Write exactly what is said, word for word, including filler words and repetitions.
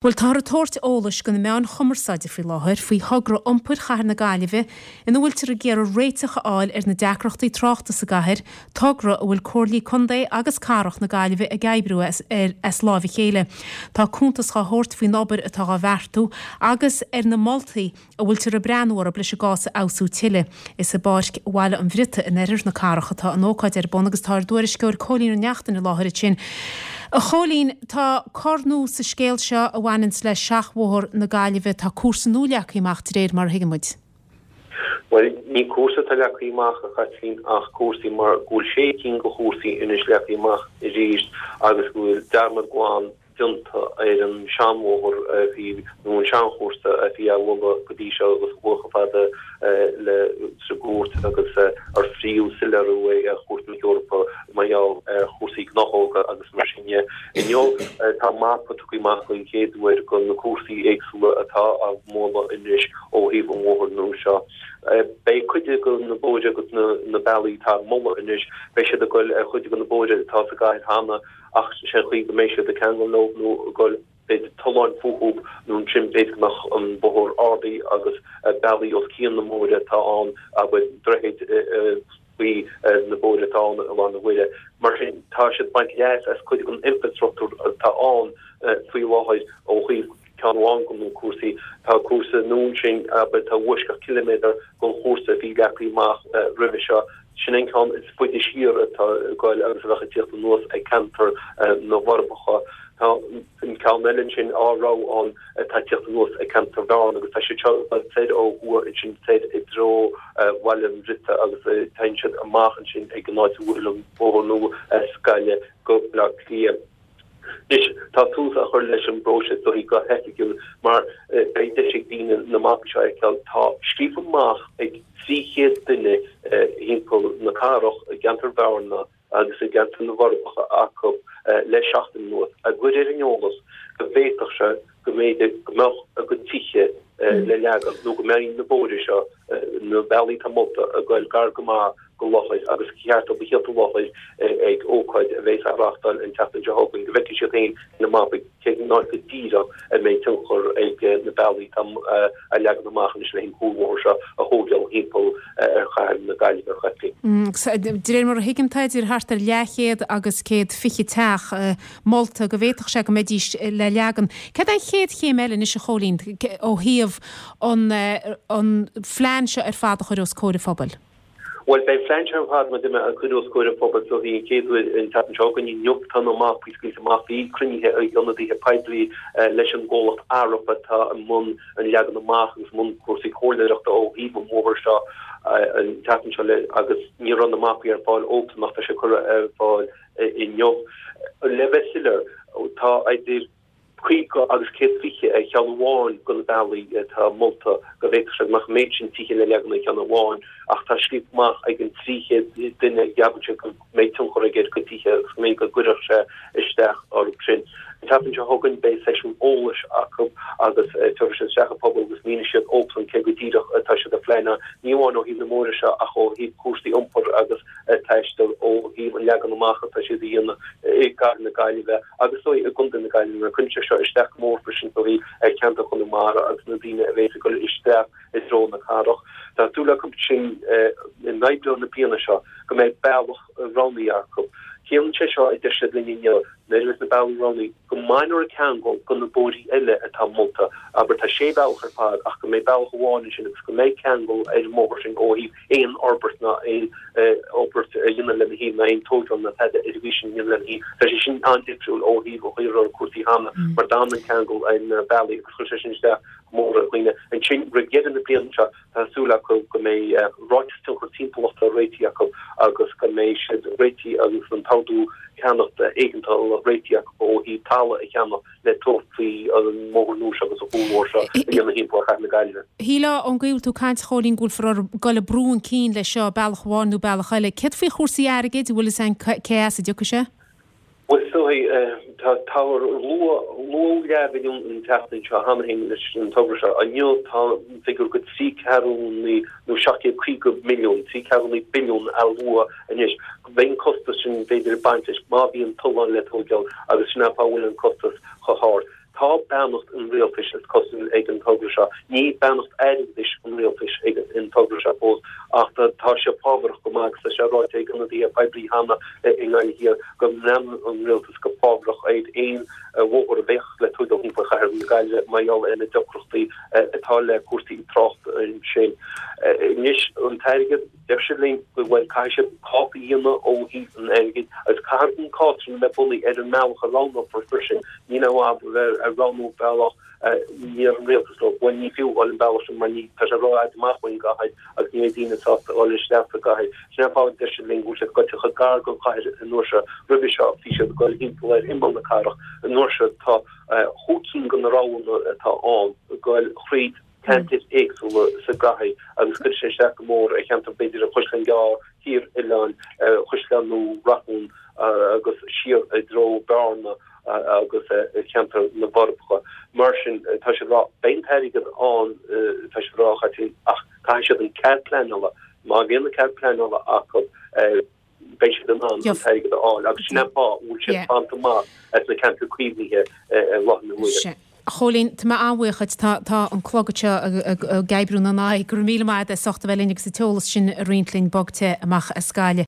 Bhuel, táthar ag tabhairt eolais do na meáin chumarsáide faoi láthair faoi thogra iompair chathair na Gaillimhe ina bhfuiltear ag iarraidh réiteach a fháil ar na deacrachtaí tráchta sa gcathair, togra a bhfuil Comhairlí Contae agus Cathrach na Gaillimhe ag oibriú as, ar, as láimh a chéile. Tá cuntas á thabhairt faoin obair atá á bheartú agus ar na moltaí a bhfuiltear ag breathnú orthu leis an gcás a fheabhsú tuilleadh. Is i bPáirc Bhaile an Bhriotaigh in oirthear na cathrach atá an ócáid ar bun agus tá ár dtuairisceoir Cóilín Ó Neachtain i láthair ansin. A Chóilín, tá cor nua sa scéal seo a bhaineanns le Seachbhóthar na Gaillimhe, tá cúrsa nua leagtha amach de réir mar a thuigeann muid. Bhuel, ní cúrsa atá leagtha amach, a Chaitlín, ach cúrsaí mar go bhfuil sé cinn de chúrsaí anois leagtha amach arís agus go bhfuil dearmad glan déanta ar an seanbhóthar a bhí, nó an seanchúrsa a bhí á mholadh go dtí seo agus a chuaigh chomh fada le sa gcúirt agus ar phríomh-soiléiriú é ar Chúirt na hEorpa mar gheall ar chúrsaí gnáthóga agus mar sin de. Inniu tá mapa tugtha amach den chéad uair de na cúrsaí éagsúla atá á moladh anois ó thaobh an bhóthair nua seo. Beidh cuid de na bóithre agus na bealaí atá á moladh anois, beidh siad ag goil ar chuid de na bóithre atá sa gcathair cheana ach sé an chaoi go mbeidh siad ag ceangal leo nó ag goil b'fhéidir tolláin fúthu nó ansin b'fhéidir go mbeadh an bóthar ardaithe agus bealaí os cionn na mbóithre atá ann, abair, droichid faoi na bóithre atá ann i lár na huaire. Mar sin, tá siad ag baint leas as cuid den infreastruchtúr atá ann faoi láthair ó thaobh ceann amháin de na cúrsaí. Tá cúrsa nua ansin, abair, atá i bhfoisceacht ciliméadar den chúrsa a bhí leagtha amach roimhe seo. Sin an ceann is faide siar atá ag goil agus a bheadh ag tíocht anuas ag ceantar na bhForbacha. Tá an ceann eile ansin á rogha ann atá ag tíocht anuas ag ceantar Bhearna agus tá siad seo ag dul soir ó thuaidh ansin soir i dtreo Bhaile an Bhriotaigh agus téann siad amach ansin ag an áit a bhfuil an bóthar nua as Gaillimh go Baile Átha Cliath. Anois, tá tús á chur leis an bpróiseas dóigh go hoifigiúil mar beidh deis ag daoine na mapaí seo a fheiceáil. Tá scríofa amach ag trí chéad duine thimpeall na cathrach, i gceantar Bhearna agus i gceantar na bhForbacha acu le seachtain anuas, á gcur ar an eolas go bhféadfadh sé go mb'fhéidir go mbeadh a gcuid tithe le leagan nó go mbeidh na bóithre seo, na bealaí atá molta, ag goil gar go maith go láthair agus ba cheart dóibh a thíocht i láthair ag ócáid a bheas á reáchtáil an tseachtain seo chugainn go bhfeicfidh siad féin ar na mapaí cén áit go díreach a mbeidh tionchar ag na bealaí atá á leagan amach anois le an cuarbhóthar seo a thógáil thimpeall ar chathair na Gaillimhe, a Chaitlín. De réir mar a thuigim, tá idir thart ar leathchéad agus céad fiche teach molta go bhféadfadh sé go mbeidís le leagan. Céard é an chéad chéim eile anois, a Chóilín, ó thaobh an phlean seo ar fad a chur os comhair an phobail? Bhuel, beidh an plean seo ar fad, mar a deir mé, á chur os comhair an phobail so den chéad uair an tseachtain seo chugainn. Inniu tá na mapaí scaoilte amach. Bhí cruinnithe ag ionadaithe poiblí leis an gcomhlacht Arup atá i mbun an leagan amach agus i mbun cúrsaí comhairleoireachta ó thaobh an bhóthair seo an tseachtain seo le agus ní raibh na mapaí ar fáil óbhsan ach tá sé curtha ar fáil inniu. Le bheith soiléir, tá idir. caoga agus céad fiche ar cheann amháin de na bealaí atá molta go bhféadfadh sé go mbeadh an méid sin tithe le leagan ar cheann amháin ach tá scríofa amach ag an trí chéad duine a gceapann siad go mbeidh tionchar aige ar a gcuid tithe agus go mbeidh go gcuirfeadh sé isteach orthu sin. An tseachtain seo chugainn beidh seisiún eolais acu agus tabharfaidh siad isteach an pobal agus míneoidh siad dóibhsan cé go díreach atá siad ag pleanáil ní amháin ó thaobh na mbóithre seo ach ó thaobh cúrsaí iompair agus taistil ó thaobh an leagan amach atá siad a dhéanamh i gcathair na Gaillimhe agus is dóigh i gContae na Gaillimhe mar cuireann sé seo isteach go mór freisin is dóigh ar cheantar Chonamara agus na daoine a bheas ag dul isteach i dtreo na cathrach. Tá súil acu sin in Aibreán na bliana seo go mbeidh bealach roghnaithe acu. Ciallaíonn sé seo, a deir siad linn inniu, nuair a bheas na bealaí roghnaithe, go mbainfear an ceangal go na bóithrí eile atá molta. Abair, tá sé bhealach ar fad ach go mbeidh bealach amháin ansin agus go mbeidh ceangal ar an mbóthar sin ó thaobh aon fhorbairt ná aon fhorbairt a dhéanamh lena thaobh ná aon tógáil ná tada ar an sin a dhéanamh lena thaobh. Tá sé sin an-difriúil ó thaobh an chaoi a raibh cúrsaí cheana mar d'fhan an ceangal ar na bealaí agus chuir sé sin isteach go mór ar dhaoine. Ansin, roimh dheireadh na bliana seo, tá súil acu go mbeidh ráiteas tionchar timpeallachta réitithe acu agus go mbeidh siad réitithe agus an t-ordú ceannachta éigeantála réitithe acu ó thaobh talamh a cheannach le tabhairt faoi an mbóthar nua seo agus an cuarbhóthar seo a dhéanamh thimpeall ar chathair na Gaillimhe. Shílfeá ón gcaoi a bhfuil tú ag caint, a Chóilín, go bhfuilfear ag dul ag brú chun cinn leis seo, bealach amháin nó bealach eile. Céard faoi chúrsaí airgid, an bhfuil fhios a'inn cé as a dtiocfaidh sé? Bhuel, is dóigh, tá, táthar luadh leathbhilliún an tseachtain seo cheana féin leis an togra seo. Inniu tá an figiúr go trí ceathrúnaí nó seacht gcéad caoga milliún, trí ceathrúnaí billiún á lua anois. Beidh an costas sin b'fhéidir ag baint leis má bhíonn tolláin le tóigeáil agus sin an fáth a bhfuil an costas chomh hard. Tá beannacht an rialtais is cosúil ag an togra seo. Ní beannacht airgeadais an rialtais ag an togra seo fós ach tá sé fábharach go maith agus tá sé ráite ag ionadaithe poiblí cheana i nGaillimh Thiar go mbreathnaíonn an rialtas go fábharach ar aon bhóthar a bheadh le tógáil thimpeall chathair na Gaillimhe mar gheall ar na deacrachtaí atá le cúrsaí tráchta ansin. Anois an t-airgead, deir siad linn go bhfuil, caithfidh siad cás a dhéanamh ó thaobh an airgid agus caithfidh an cás sin a bheith bunaithe ar an mbealach a roghnófar freisin. Ní haon fhadhb a bheith ag roghnú bealach deir an rialtas leo, bhuel ní fiú dhul an bealach sin mar ní, tá sé rófhada amach ón gcathair agus ní bheidh daoine sásta dhul isteach sa gcathair. Sin an fáth a deir siad linn go bhfuil siad gaibhte chomh gar don chathair an uair seo. Roimhe seo bhí siad ag dul thimpeall ar imeall na cathrach, an uair seo tá chúig cinn de na roghanna atá ann ag dul thríd ceantair éagsúla sa gcathair agus cuirfidh sé isteach go mór ar cheantar b'fhéidir an Chaisleáin Ghearr, Thír Oileáin, Chaisleán Nua, Rathún agus siar i dtreo Bearna agus ceantar na bhForbacha. Mar sin tá siad ag rá beidh an t-airgead ann, tá siad ag rá, a Chaitlín, ach caithfidh siad an cead pleanála, má bhíonn an cead pleanála acu, beidh siad in ann an t-airgead a fháil agus sin an fáth a bhfuil siad fanta amach as na ceantair caomhnaithe i láthair na huaire. A Chóilín, tá mé an-bhuíoch duit. Tá, tá an clog anseo ag oibriú inár n-aghaidh. Go raibh míle maith agat as ucht a bheith linn agus an t-eolas sin a roinnt linn bog te amach as Gaillimh.